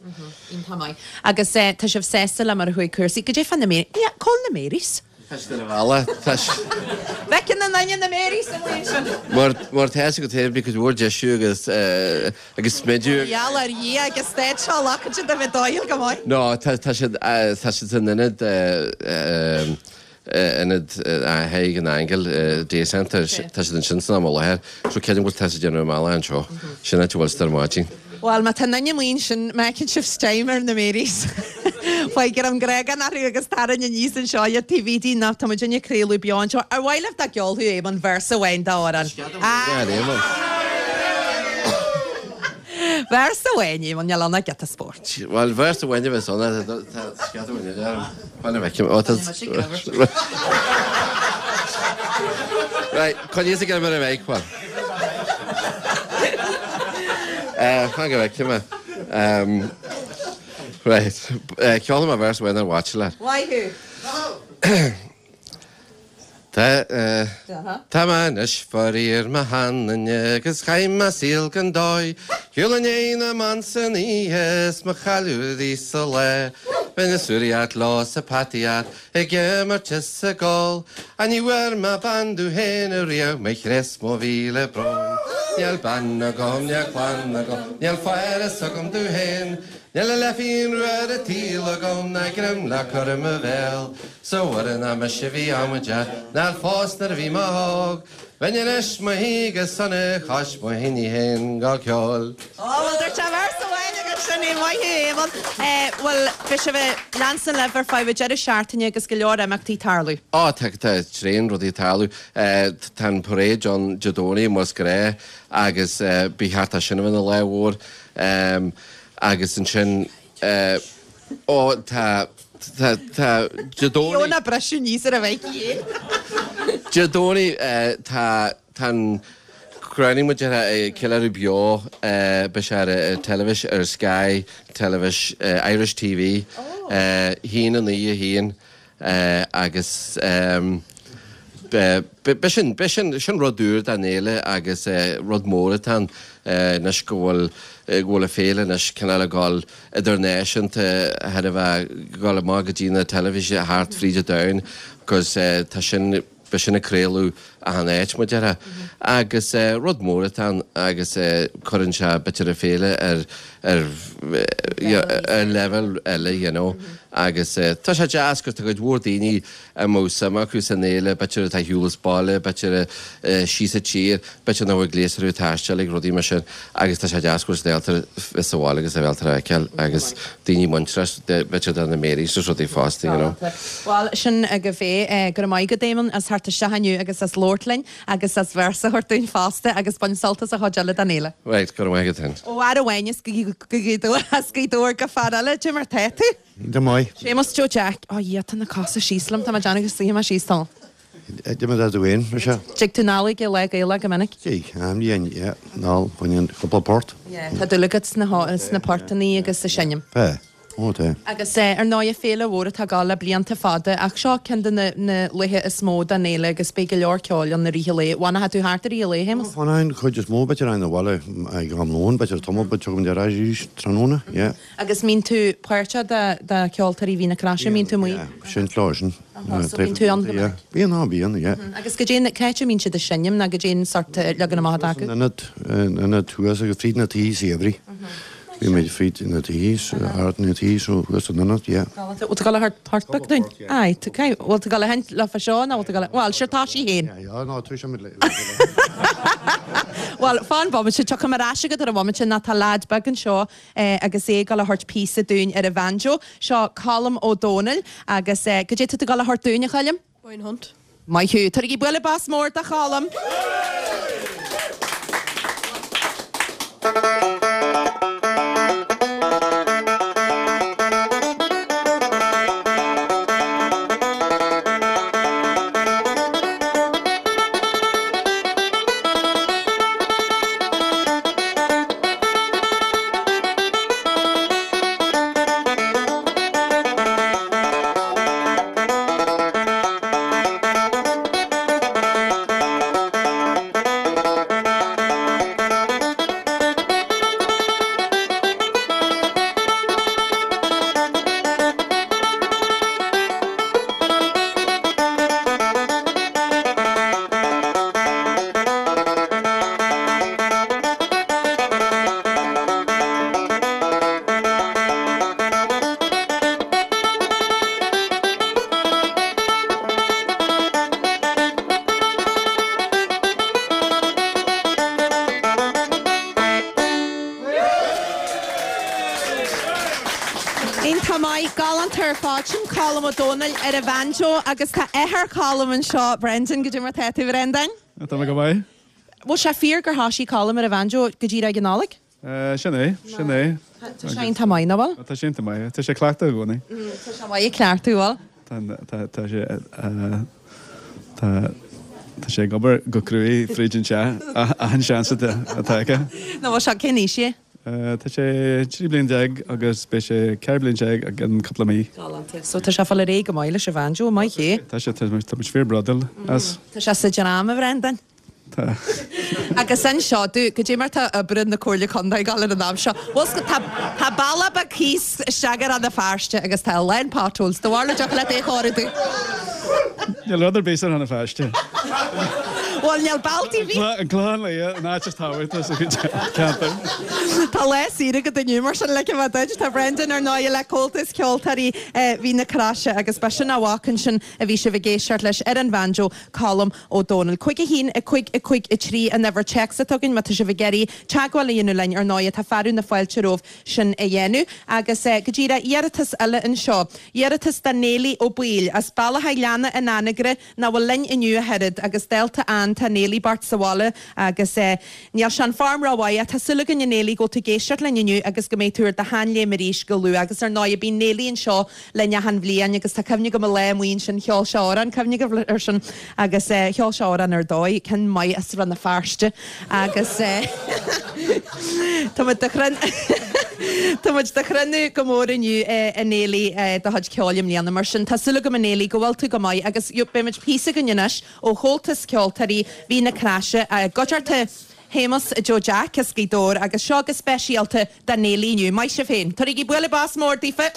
Speaker 1: Iontach maith. Agus tá sibh sásta le mar a chuaigh cúrsaí. Goidé fá na Marys? Yeah, cá bhfuil na Marys?
Speaker 6: Tá siad ar an bhealach. Tá
Speaker 1: Bhfeiceann na ndaoine na Marys amuigh ansin.
Speaker 6: Mar mar tá a fhios agat féin bhí cuid mhór deisiú agus agus smidiú.
Speaker 1: Gheall ar Dhia agus stad seo lachaid siad a bheith dóighiúil go maith.
Speaker 6: No, tá tá siad tá siad san ionad ionad Thigh na nAingeal Day Centre, tá siad ansin san am i láthair, so creidim go bhfuil tá siad ag déanamh a mbealach anseo, sin áit a bhfuil siad ar maidin.
Speaker 1: Bhuel, má tá duine amuigh ansin, má fheiceann sibh steam ar na Marys, faigh an gréagán orthu agus tarraing aníos anseo iad taobh istigh dínn, tá muidinne ag craoladh beo anseo. Ar mhaith libh dá gceolfadh Éamonn véarsa amháin d'amhrán? Véarsa amháin, Éamonn, níl ann ach giota spóirt.
Speaker 6: Bhuel, véarsa amháin a bheas ann, tá scata amháin eile orm. Fan a bhfeicim. Ó, tá... Right, coinníos ag ar an mic, bhuel. Fan go bhfeicim é. Right, ceolfaidh mé véarsa amháin ar mhaithe leat.
Speaker 1: Maith thú.
Speaker 6: Tá mé anois faraor mo sheanduine agus chaith mé saol gan dóigh. Shiúl i ndiaidh na mban san oíche is mo chailleadh arís sa lá. Bheinn ag suaraíocht leo 's ag peataíocht ag imirt is ag ól. Ach ní bhfuair mé bean domh féin ariamh mo chreas mo mhíle brón. Níl bean agam, níl clann agam, níl fearas agam domh féin. Níl a leathphingin rua ar an tsaol agam ná greim le cur i mo bhéal. 'S a Mhuire nach mise a bhí amaideach nár phós nuair a bhí mé óg. Bheinn anois 'mo shuí go sona cois mo thine féin go ceol.
Speaker 1: Ó, bhuel, dúirt sé véarsa amháin agus sin é, maith thú, Éamonn. Bhuel, beidh sibh ag leanstan libh ar feadh an deireadh seachtaine agus go leor imeachtaí ag tarlú.
Speaker 6: Ó, tá, tá tréan rudaí ag tarlú. Tá an parade ann Dé Domhnaigh, más gnách, agus ba cheart é sin a bheith ina lá mhór. Agus ansin, ó, tá, tá, tá, Dé Domhnaigh.
Speaker 1: Fiona briseadh aníos ar a bheidh cé.
Speaker 6: Dé Domhnaigh, tá, tá an crowning muid ar ceiliúradh beo, beidh sé ar an teilifís, ar Sky Teilifís, Irish TV, haon a naoi a haon. Agus b'shin, b'shin, sin rud úr don fhéile agus rud mór atá ann anois go bhfuil, go bhfuil an féile anois cineál ag dul idirnáisiúnta thar a bheith, ag dul amach go dtí na teilifíse thart fríd an domhan agus tá sin, beidh sin ag craoladh achan áit, mar a déarfá. Agus rud mór atá ann agus cuireann sé b'fhéidir an féile ar ar ar leibhéal eile, you know. Agus tá sé deas 'cause tá cuid mhór daoine a mbeadh suim acu san fhéile, b'fhéidir atá ar shiúl as baile, b'fhéidir síos sa tír, b'fhéidir nach bhfuil gléas orthu taisteal ag rudaí mar sin agus tá sé deas go bhfuil siad ábalta bheith sa bhaile agus a bheith ábalta a fheiceáil agus daoine muinteartha, b'fhéidir do na Marys is rudaí fosta, you know.
Speaker 1: Bhuel, sin agaibh é. Go raibh maith agat, Éamonn, as theacht isteach inniu agus as labhairt linn agus as véarsa a thabhairt dúinn fosta agus bain sult as an chuid eile den fhéile.
Speaker 6: Right, go raibh maith agat féin.
Speaker 1: Ó fhear amháin as Gaoth Dobhair go fear eile, cad é mar tá tú?
Speaker 7: Go maith.
Speaker 1: Séamus Joe Jack, Ó Dhia, tá na cosa síos liom, tá mé ag déanamh go suífidh mé síos tamall.
Speaker 7: Cad é mar tá tú féin, mar sea?
Speaker 1: Tig tú anall ag Lá Gaelach go minic?
Speaker 7: Tig, am dhéan, yeah, anall, baineann cúpla port.
Speaker 1: Yeah, tá dúil agat sna sna portannaí agus sa seinm.
Speaker 7: Tá. Ó, tá.
Speaker 1: Agus ar ndóigh, féile mhór atá ag gabháil le blianta fada, ach seo ceann de na na laethe is mó den fhéile agus beidh go leor ceoil ann i rith an lae. Bhfanfaidh tú thart i rith an lae, a Shéamuis?
Speaker 7: Fanfainn, chuid is mó, b'fhéidir ann abhaile ag am lóin, b'fhéidir tamall, but tiocfaimid ar ais arís tráthnóna, yeah.
Speaker 1: Agus mbíonn tú páirteach de de Cheoltóirí Mhín na Croise, mbíonn tú amuigh?
Speaker 7: Yeah, sin clár sin.
Speaker 1: Ahá, so bíonn tú ann go minic?
Speaker 7: Bíonn, á bíonn, yeah.
Speaker 1: Agus goidé na, cá háit a mbíonn siad ag seinm nó goidé an sort leagan amach atá acu?
Speaker 7: San ionad, ionad thuas agus fríd na tithe saibhre. Bhí muid fríd na tithe, thart na tithe, so thuas san ionad, yeah.
Speaker 1: Bhfuil tú ag dul a thabhairt port beag dúinn? Aye, tá, cé, bhfuil tú ag dul a sheinnt leofa seo nó bhfuil tú ag dul a, bhuel, sure tá sí féin.
Speaker 7: Yeah, yeah, no, tá muid le,
Speaker 1: Bhuel, fan bomaite, tiocfaidh mé ar ais agat ar an bhomaite nó tá leaid beag anseo agus é ag dul a thabhairt píosa dúinn ar an bhanjo. Seo Colm Ó Dónaill agus goidé tá tú ag dul a thabhairt dúinn, a Choilm?
Speaker 8: Wayne Hunt.
Speaker 1: Maith thú. Tabhairigí bualadh bos mór do Cholm! Iontach ar fad sin Colm Ó Dónaill ar an bhanjo agus tá athair Colm anseo Brendan goidé mar tá tú Brendan.
Speaker 8: Tá mé go maith?
Speaker 1: Bhfuil sé fíor gur thosaigh Colm ar an bhanjo go díreach ag an Nollaig?
Speaker 8: Sin é, sin é.
Speaker 1: Tá sé iontach maith nach bhfuil?
Speaker 8: Tá sé iontach maith, tá sé ag cleachtadh i gcónaí.
Speaker 1: Tá sé maith ag cleachtadh bhfuil?
Speaker 8: Tá sé tá tá sé ag obair go cruaidh fríd an teach achan seans atá aige.
Speaker 1: Nó bhfuil sé cén aois é?
Speaker 8: Tá sé trí bliana déag agus beidh sé ceithre bliana déag i gceann cúpla mí.
Speaker 1: Galánta. So tá sé fáil ar aghaidh go maith leis an bhanjo, maith é.
Speaker 8: Tá sé tá muid fíor bródúil as.
Speaker 1: Tá sé sa dream a Bhrendan.
Speaker 8: Tá.
Speaker 1: Agus anseo tú goidé mar tá obair na Comhairle Contae ag dul ar an am seo. Bhfuil tá tá bealach beag thíos isteach ar Rann na Feirste agus tá a lán potholes. Do bharúil an dtiocfadh leat é a chóiriú.
Speaker 8: Níl rud ar bith ar Rann na Feirste.
Speaker 1: Bhuel níl bealtaí bhí.
Speaker 8: An Clochán Liath an áit is tábhachtaí sa cheantar.
Speaker 1: Tá lá saoire agat inniu mar sin le bheith duit. Tá Brendan ar ndóigh le Comhaltas Ceoltóirí Mhín na Croise agus b'shin a mhac ansin a bhí sibh ag éisteacht leis ar an bhanjo, Colm Ó Dónaill. Cúig a haon, a cúig, a cúig, a trí an uimhir téacs atá againn má tá sibh ag iarraidh teagmháil a dhéanamh linn ar ndóigh tá fearadh na fáilte romhaibh sin a dhéanamh. Agus go díreach iarratas eile anseo. Iarratas do Néilí Ó Baoill as Bealach Átha Gleanna in Anagaire nach bhfuil linn inniu ach oiread agus dálta Ann tá Néilí bocht sa bhaile agus níl sé in form rómhaith. Tá súil againn a Néilí go bhfuil tú ag éisteacht linn inniu agus go mbeidh tú ar do sheanléim arís go luath agus ar ndóigh bíonn Néilí anseo linn achan bhliain agus tá cuimhne agam an lá amuigh ansin cheol sé amhrán, cuimhne agaibh air sin agus cheol sé amhrán ar dóigh, ceann maith as Rann na Feirste agus tá muid do Tá muid do chruinniú go mór inniu a Néilí do chuid ceoil i mbliana mar sin tá súil agam a Néilí go bhfuil tú go maith agus beidh muid píosa againn anois ó Chomhaltas Ceoltóirí Mhín na Croise i gcuideachta Shéamus Joe Jack as Gaoth Dobhair agus seo go speisialta do Néilí inniu. Maith sibh féin. Tabharaigí bualadh bos mór daofa!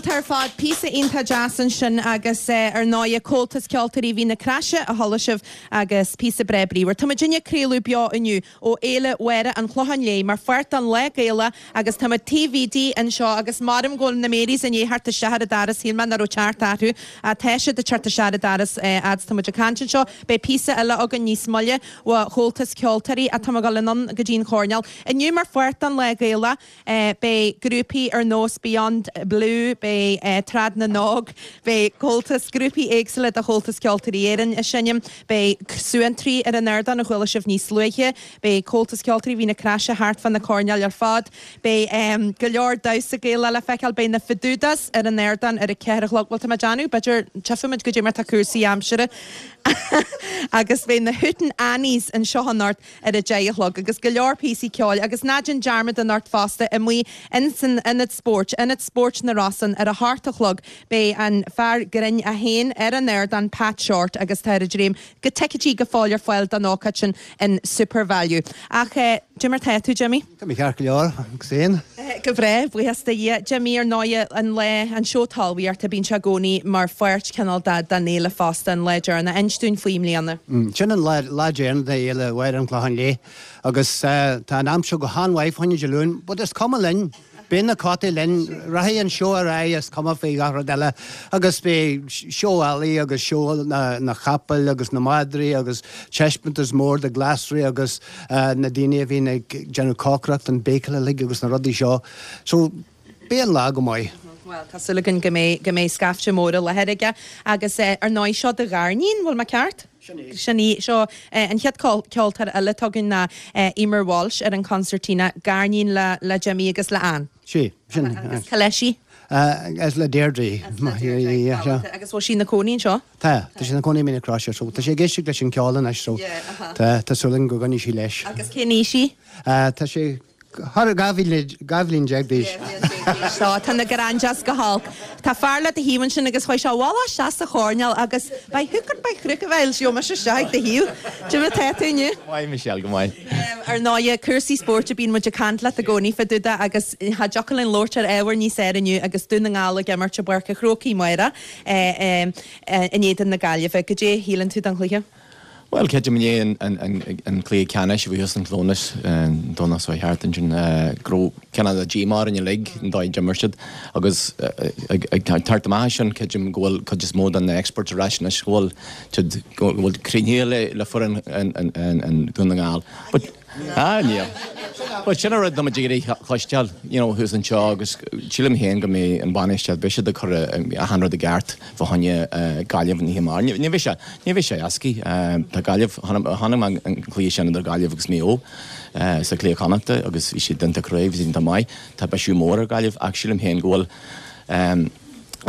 Speaker 1: Galánta ar fad, píosa iontach deas ansin agus ar ndóigh Comhaltas Ceoltóirí Mhín na Croise a chuala sibh agus píosa breá bríomhar. Tá muidinne ag craoladh beo inniu ó Fhéile Mháire an Chlocháin Léith mar pháirt den Lá Gaelach agus tá muid taobh Bhídí anseo agus maram go bhfuil na Marys i ndiaidh theacht isteach ar an doras, shíl mé nach raibh teacht orthu ach tá siad ag teacht isteach ar an doras fhad is tá muid ag caint anseo. Beidh píosa eile againn níos moille ó Chomhaltas Ceoltóirí ach tá muid ag dul anonn go dtí an choirnéal. Inniu mar pháirt den Lá Gaelach beidh grúpaí ar nós Beyond Blue, beidh Trad na nÓg, beidh Comhaltas, grúpaí éagsúla de Chomhaltas Ceoltóirí Éireann ag seinm, beidh Suantraí ar an ardán a chuala sibh níos luaithe, beidh Comhaltas Ceoltóirí Mhín na Croise thart fá na coirnéil ar fad, beidh go leor damhsa Gaelach le feiceáil, beidh na Feadúdas ar an ardán ar a ceathair a chlog, bhuel tá mé ag déanamh, b'fhéidir, tchífimid goidé mar tá cúrsaí aimsire agus beidh na Hootenannies anseo anocht ar a deich a chlog agus go leor píosaí ceoil agus ná déan dearmad anocht fosta amuigh ins an Ionad Spóirt, Ionad Spóirt na Rosann ar a hocht a chlog beidh an fear grinn é féin ar an ardán Pat Shortt agus tá ar a dréim go ticéidí go fóill ar fáil don ócáid sin in Supervalu. Ach cad é mar tá tú Jimmy?
Speaker 9: Tá mé ceart go leor agus féin.
Speaker 1: Go breá, buíochas do Dhia. Jimmy ar ndóigh an lá an seó talmhaíochta bíonn sé i gcónaí mar pháirt cineál den fhéile fosta an lá deireanach. Inis dúinn faoi i mbliana.
Speaker 9: Sin an lá lá deireanach de Fhéile Mháire an Chlocháin Léith agus tá an aimsir go han-mhaith fá choinne Dé Luain, but is cuma linn. Beidh na cótaí linn, rachaidh an seó ar aghaidh is cuma faoi gach rud eile agus beidh seó eallaigh agus seó na, na capaill agus na madraí agus taispeántas mór de glasraí agus uh, na daoine a bhíonn ag déanamh cócaireacht an béicil uilig agus na rudaí seo. So beidh an lá go maith.
Speaker 1: Well, tá súil againn go mbeidh go mbeidh scaifte mór i láthair aige agus eh, ar ndóigh seo do ghariníon, bhfuil mé ceart? Sin í seo eh, an chéad ceoltóir eile againn ná eh, Emer Walsh ar an concertina gariníon le le Jimmy agus le Ann.
Speaker 9: Sí, sin.
Speaker 1: Agus cá leis í?
Speaker 9: Uh, as le Deirdre.
Speaker 1: Agus bhfuil sí ina cónaí anseo?
Speaker 9: Tá, tá sí ina cónaí i Mín na Croise, so tá sí ag éisteacht leis an ceol anois so tá tá súil againn go gcoinneoidh sí leis.
Speaker 1: Agus cén aois í?
Speaker 9: Uh, tá sé thar dhá bhliain déag d'aois.
Speaker 1: So tá na granjas go holc. Tá fear le do thaobh ansin agus chuaigh sé bhla isteach sa choirnéal agus by hook or by crook a bheil sí me isteach do thaobh. Cad é mar tá tú inniu?
Speaker 10: Maith Michelle go maith.
Speaker 1: Ar ndóigh cúrsaí spóirt a bíonn muid ag caint leat i gcónaí fá dtaobh de agus cha dtiocfadh linn labhairt ar ábhar níos fearr inniu agus Dún na nGall ag imirt i bPáirc an Chrócaigh amárach in éadan na Gaillimhe. Goidé a shíleann tú den chluiche?
Speaker 10: Well creidim inné an cluiche ceannais a bhí thuas in Clónas Domhnach seo thart ansin go raibh cineál de díomá orainn uilig an dóigh a d'imir siad agus ag teacht amach as sin creidim go bhfuil cuid is mó den na experts ar ais anois go bhfuil siad go bhfuil cruinnithe le le foireann an Dún na nGall. But ah níl. But sin an rud atá muid ag iarraidh cloisteáil you know thuas anseo agus sílim féin go mbeidh an bainistíocht beidh siad ag cur achan rud i gceart fá choinne Gaillimh an oíche amárach. Ní bheidh sé ní bheidh sé éasca. Tá Gaillimh chonaic mé an cluiche sin idir Gaillimh agus Maigh Eo sa Chluiche Connachta agus bhí siad iontach crua, bhí siad iontach maith. Tá bisiú mór ar Gaillimh ach sílim féin go bhfuil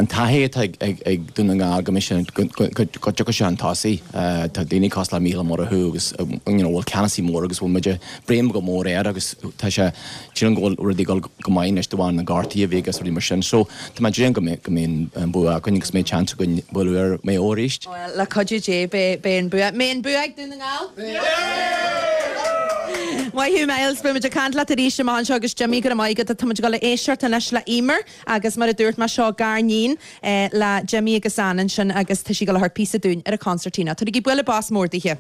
Speaker 10: an taithí atá ag Dún na nGall go mbeidh sé go dtiocfaidh sé chun tosaigh. Tá daoine cosúil le Mícheál Ó Murchú agus you know bhfuil ceannasaí mór agus bhfuil muid ag brath go mór air agus tá sé sílim go bhfuil rudaí ag dul go maith anois de bharr na gortuithe a bhí agus rudaí mar sin. So tá mé ag dréim go mbeidh go mbeidh an bua againn agus mbeidh chance againn bualadh ar Maigh Eo arís.
Speaker 1: Bhuel, le cuidiú Dé beidh beidh an bua. Mbeidh an bua ag Dún na nGall? Maith thú Myles, beidh muid ag caint leat arís amach anseo agus Jimmy go raibh maith agat. Tá muid ag dul a éisteacht anois le Emer agus mar a dúirt mé seo gariníon le Jimmy agus Ann ansin agus tá sí ag dul a thabhairt píosa dúinn ar an concertina. Tabhairigí bualadh bos mór dithe.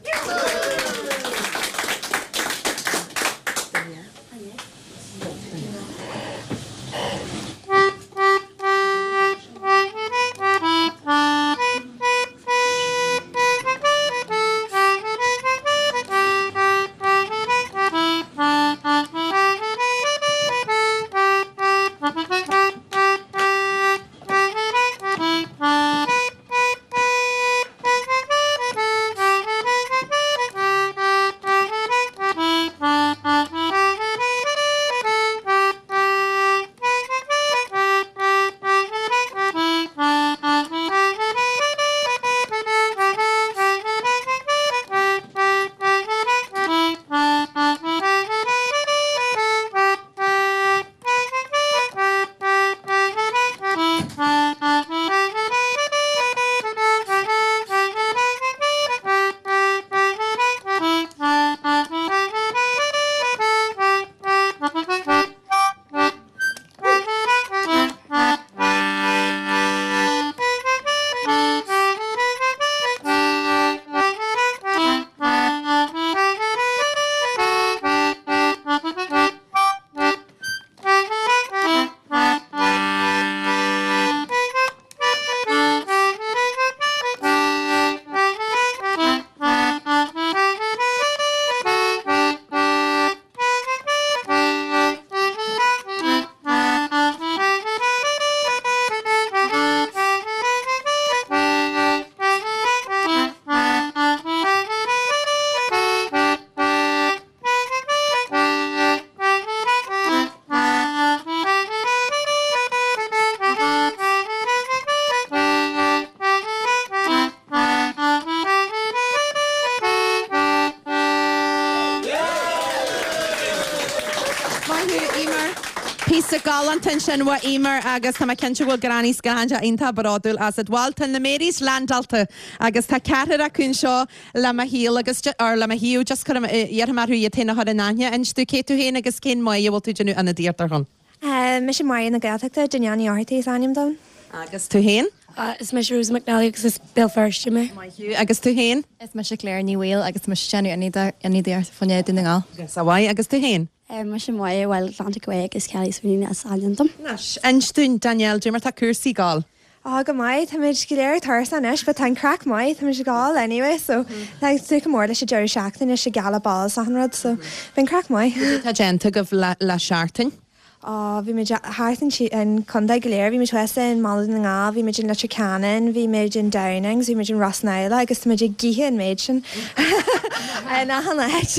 Speaker 1: Píosa galánta ansin ó Emer agus tá mé cinnte go bhfuil Granny is Granda iontach bródúil asat. Bhuel tá na Marys landáilte agus tá ceathrar acu anseo le mo shaol agus or le mo thaobh just cuir iarrfaidh mé orthu iad féin a chur in aithne. Inis dom cé tú féin agus cén Máire a bhfuil tú déanamh ionadaíocht ar shon.
Speaker 2: Mise Máire na Gaeltachta, Danielle Ní Fháthartaigh is ainm dom.
Speaker 1: Agus tú féin?
Speaker 11: Is mise Rosa McNally agus is Béal Feirste mé.
Speaker 1: Maith thú. Agus tú féin?
Speaker 12: Is mise Claire Ní Bhaoill agus mise déanamh ionadaíocht fá choinne Dún na nGall.
Speaker 1: Agus a mhaith agus tú féin?
Speaker 13: Mise Máire Bhaile Atlantic Way agus Kelly Sweeney is ainm dom.
Speaker 1: Anois, inis dúinn Danielle, cad é mar tá cúrsaí ag gabháil.
Speaker 2: Á go maith, Táimid go léir tuirseach anois, but tá an craic maith, táimid ag gabháil anyway, so tá súil go mór leis an deireadh seachtaine is gala ball achan rud, so bíonn craic maith.
Speaker 1: Tá déanta agaibh le le seachtain?
Speaker 2: Á bhí muid thart an contae go léir, bhí muid thuas in Mala na nGall, bhí muid in Leitir Ceanainn, bhí muid in Downings, bhí muid in Ros na hIle agus tá muid ag ithe an méid sin in achan áit.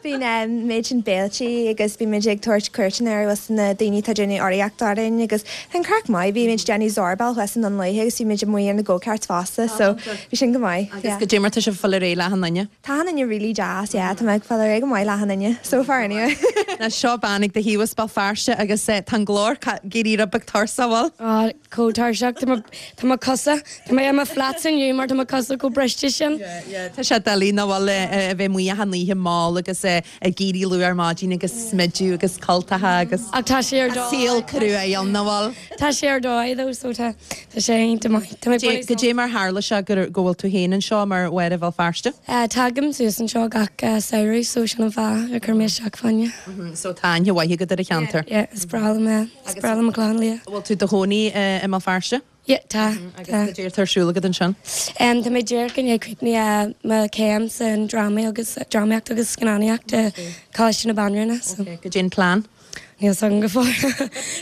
Speaker 2: Bíonn méid sin béiltí agus bhí muid ag tabhairt cuairteanna ar was na daoine atá déanamh urraíocht orainn agus tá an craic maith, bhí muid déanamh zorbáil thuas in Dún Lúiche agus bhí muid amuigh ar na go-karts fosta, so bhí sin go maith.
Speaker 1: Agus cad é mar tá sibh ag fáil ar aghaidh le achan duine?
Speaker 2: Tá achan duine really deas, yeah, tá mé ag fáil ar aghaidh go maith le achan duine, so far anyway.
Speaker 1: Ná seo bean ag do thaobh as Béal Feirste agus tá an glór ag éirí rud beag tuirseach, bhfuil?
Speaker 11: Á chomh tuirseach tá mo cosa Tá mé i mo flats inniu mar tá mo cosa chomh briste sin.
Speaker 1: Tá sé doiligh nach bhfuil a bheith amuigh achan oíche mall agus ag éirí luath ar maidin agus smideadh agus cultacha agus
Speaker 11: Ach tá sé ar dóigh.
Speaker 1: saol cruaidh ann nach bhfuil?
Speaker 11: Tá sé ar dóigh though so tá tá sé iontach maith. Tá mé ag
Speaker 1: Cad é mar tharla sé go go bhfuil tú féin anseo mar Mháire Bhéal Feirste?
Speaker 11: Uh, Tagaim suas anseo gach uh, samhradh so sin an fáth ar chuir mé isteach fá choinne.
Speaker 1: So tá aithne mhaith agat ar an cheantar.
Speaker 11: Yeah, is breá liom é. Is breá liom an Clochán Liath.
Speaker 1: Bhfuil tú i do chónaí i mBéal Feirste?
Speaker 11: Yeah, tá.
Speaker 1: Agus cad é atá ar siúl agat ansin?
Speaker 11: Um, tá mé díreach i ndiaidh críochnú mo céim san drámaí agus drámaíocht agus scannánaíocht Coláiste na Banríona. So.
Speaker 1: Cad é an plean?
Speaker 11: Níl san go fóill.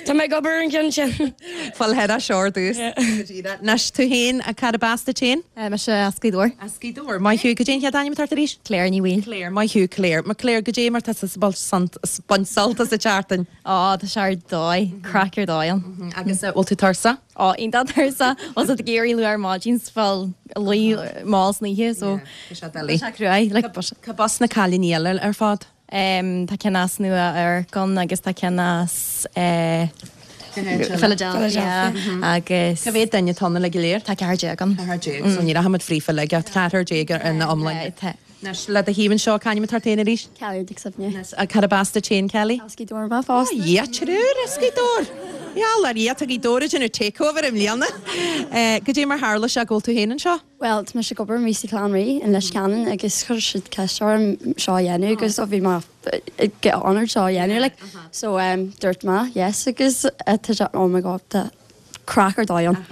Speaker 11: Tá mé ag obair an ceann sin.
Speaker 1: Fáil head seo dús. Anois tú féin a cad as duit féin?
Speaker 12: Mise as Gaoth Dobhair.
Speaker 1: As Gaoth Dobhair. Maith thú cad é an chéad ainm atá arís?
Speaker 12: Claire Ní Bhaoill.
Speaker 1: Claire, Maith thú Claire. Ma Claire cad é mar tá baint sult as an tseachtain.
Speaker 12: Á tá sé ar dóigh, craic ar dóigh ann.
Speaker 1: Agus bhfuil tú tuirseach?
Speaker 12: Á iontach tuirseach os ag éirí luath ar maidin fáil luí mall san oíche so
Speaker 1: sé doiligh.
Speaker 12: Tá sé cruaidh like
Speaker 1: Cad as na cailíní eile ar fad?
Speaker 12: Um, tá ceann as Nua-Eabhrac ann agus tá ceann as eh, Philadelphia agus
Speaker 1: Cá mhéad duine atá ann le go léir?
Speaker 12: Tá ceathair déag ann.
Speaker 1: Ceathair déag, so ní rachaimid fríofa le ceathair déag ar na iomlán. Anois le do thaobh anseo c'ainm atá ort féin arís?
Speaker 13: Kelly Dick Sibne.
Speaker 1: Cad as duit féin Kelly?
Speaker 13: As Gaoth Dobhair mé fosta.
Speaker 1: Yeah, triúr as Gaoth Dobhair. Ja, le ri tá Gaoth Dobhair ag déanamh takeover i mbliana. Cad é mar tharla sé go bhfuil tú féin anseo?
Speaker 13: Well, tá mise ag obair i Clann Rí in Leitir Ceanainn agus chuir siad ceist orm seo a dhéanamh agus ó bhí mé get honored seo a dhéanamh like. So um, dúirt mé yes agus uh, tá sé oh my god tá craic ar dóigh ann.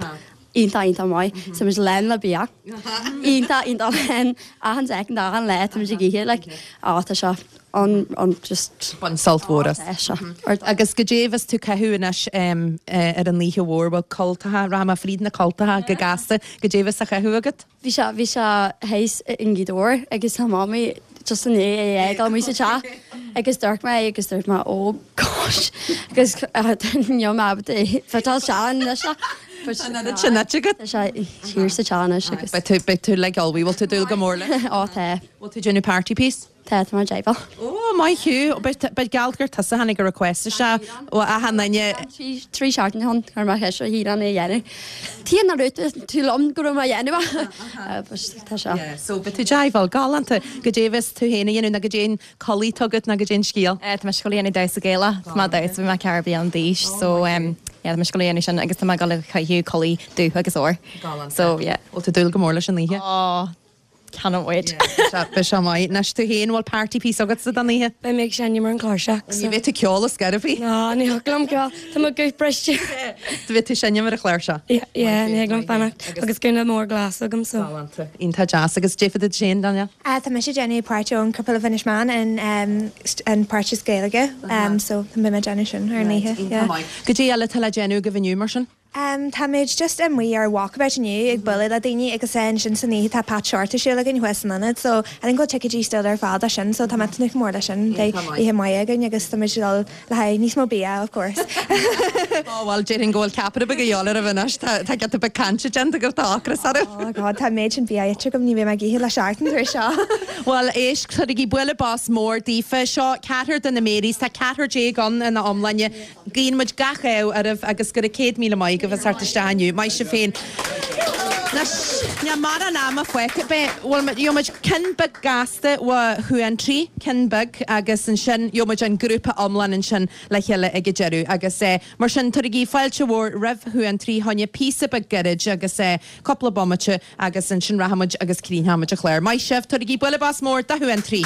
Speaker 13: Iontach iontach maith, so muid lán le bia. Iontach iontach lán achan second achan lá tá muid ag ithe like á tá sé an an just
Speaker 1: Bain sult mhór as.
Speaker 13: seo.
Speaker 1: Agus cad é a bheas tú ag caitheamh anois um, ar an oíche mhór bhfuil cultacha rachaidh mé fríd na cultacha go gasta cad é a bheas á chaitheamh agat?
Speaker 13: Bhí sé bhí sé théis in Gaoth Dobhair agus tá mamaí just an é é mí sa teach agus dúirt mé agus dúirt mé oh gosh agus níl mé fitá sean leis
Speaker 1: Sin agat?
Speaker 13: sé thiar sa teach anois agus
Speaker 1: Beidh tú beidh tú le galbhí bhfuil tú dúil go mór le?
Speaker 13: Á tá.
Speaker 1: Bhfuil tú déanamh party piece?
Speaker 13: Tá tá mar déibh.
Speaker 1: Ó maith thú beidh geall gur tusa a tháinig a request sé ó achan duine
Speaker 13: Trí seachtain chun ar mar cheis hí an é dhéanamh. Tí na rúta tú lom go raibh mé dhéanamh tá sé.
Speaker 1: So beidh tú deimhil galánta cad é a bheas tú féin a dhéanamh na cad é an culaith atá agat na cad é an scéal.
Speaker 12: Tá mé ag dul a dhéanamh damhsa Gaelach Tá mé damhsa bhí mé ceithre bliana d'aois so um, yeah, tá mé ag dul a dhéanamh sin agus tá mé ag dul a chaitheamh culaith dubh agus ór. So yeah.
Speaker 1: Bhfuil tú dúil go mór leis an oíche?
Speaker 12: Oh, cannot wait.
Speaker 1: Beidh sé maith anois tú féin bhfuil party piece agat sa don oíche?
Speaker 11: Beidh mé ag seinm ar an chláirseach.
Speaker 1: Ní bheidh tú ag ceol ar scor ar bith?
Speaker 11: Ná ní thig liom ceol Tá mo guth briste.
Speaker 1: Bheidh tú seinm ar an chláirseach.
Speaker 11: Yeah, ní thig liom fanacht agus gúna mór glas agam so.
Speaker 1: Iontach deas agus défa sin Daniel?
Speaker 2: Uh, tá mise déanamh páirt ón Couple of Inishmaan in um, an páirt is Gaeilge um, so tá mé déanamh sin ar an oíche.
Speaker 1: Cad é eile tá le déanamh agaibh inniu mar sin?
Speaker 2: Um, Táimid just amuigh ar walkabout inniu ag bualadh le daoine agus ansin san oíche tá Pat Shortt ar siúl againn thuas san ionad, so I think go bhfuil ticéidí still ar fáil do sin, so tá mé ag tnúth go mór leis sin. Beidh oíche mhaith againn agus táimid ag dul le haghaidh níos mó bia, of course.
Speaker 1: Ó bhuel, déarfainn go bhfuil ceapaire beag a dhíobháil oraibh anois, tá tá giota beag cainte déanta agaibh, tá ocras oraibh.
Speaker 2: Oh God, tá an méid sin bia ite agam, ní bheidh mé ag ithe le seachtain tar éis seo.
Speaker 1: Bhuel, éist, cuirigí bualadh bos mór daofa. Seo ceathrar de na Marys, tá ceathrar déag ann ina iomláine. Guíonn muid gach ádh oraibh agus go raibh céad míle maith agaibh as theacht isteach inniu. Maith sibh féin. Anois, níl mórán ama fágtha. Beidh, bhuel, gheobhaidh muid ceann beag gasta ó Shuantraí, ceann beag, agus ansin gheobhaidh muid an grúpa iomlán ansin le chéile ag an deireadh. Agus eh, mar sin, tabharaigí fáilte mhór roimh Shuantraí, choinne píosa beag gairid agus eh, cúpla bomaite agus ansin rachaidh muid agus críochnóidh muid an clár. Maith sibh, tabharaigí bualadh bos mór do Shuantraí.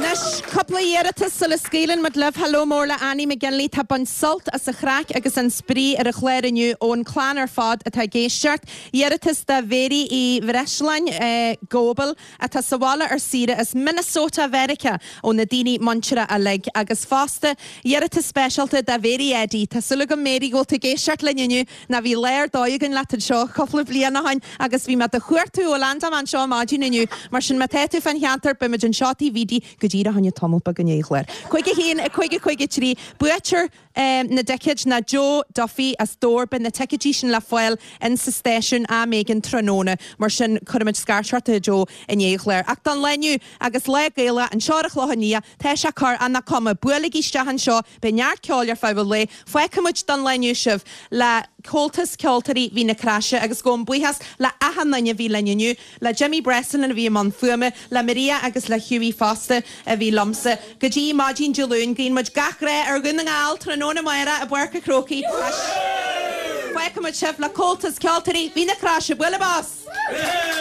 Speaker 1: Anois, cúpla iarratas sula scaoileann muid libh. Hello mór le Annie McGinley. Tá ag baint sult as an chraic agus an spraoi ar an chlár inniu ón clann ar fad atá ag éisteacht. Iarratas do Mhéirí Uí Bhreisleáin, Góbal, atá sa bhaile ar saoire as Minnesota Mheiriceá ó na daoine muinteartha uilig. Agus fosta, iarratas speisialta do Mhéirí Eddie. Tá súil agam Mary go bhfuil tú ag éisteacht linn inniu ná bhí lá ar dóigh againn leat anseo cúpla bliain ó shin agus bhí mé do chuartú ó leaindeáil mé anseo maidin inniu. Mar sin má tá tú fán cheantar beimid anseo taobh Bhídí go díreach inniu tamall beag i ndiaidh an chláir. Cúig a haon, a cúig a cúig a trí, buaiteoir na dticéid ná Joe Duffy as Dobhar, beidh na ticéidí sin le fáil in sa stáisiún am éigin tráthnóna, mar sin cuirfimid scairt ort a Joe i ndiaidh an chláir. Ach don lá inniu agus Lá Gaelach anseo ar an Chlochán Liath, tá sé corr ach nach cuma, buailigí isteach anseo, beidh neart ceoil ar feadh an lae. Fágfaimid don lá inniu sibh le Comhaltas Ceoltóirí Mhín na Craise agus gabhaim buíochas le achan duine a bhí linn inniu, le Jimmy Breslin a bhí i mbun fuaime, le Maria agus le Hughie fosta a bhí liomsa. Go dtí maidin Dé Luain, guíonn muid gach rath ar Dhún na nGall tráthnóna amárach i bPáirc an Chrócaigh. Fágfaimid sibh le Comhaltas Ceoltóirí Mhín na Craise. Bualadh bos!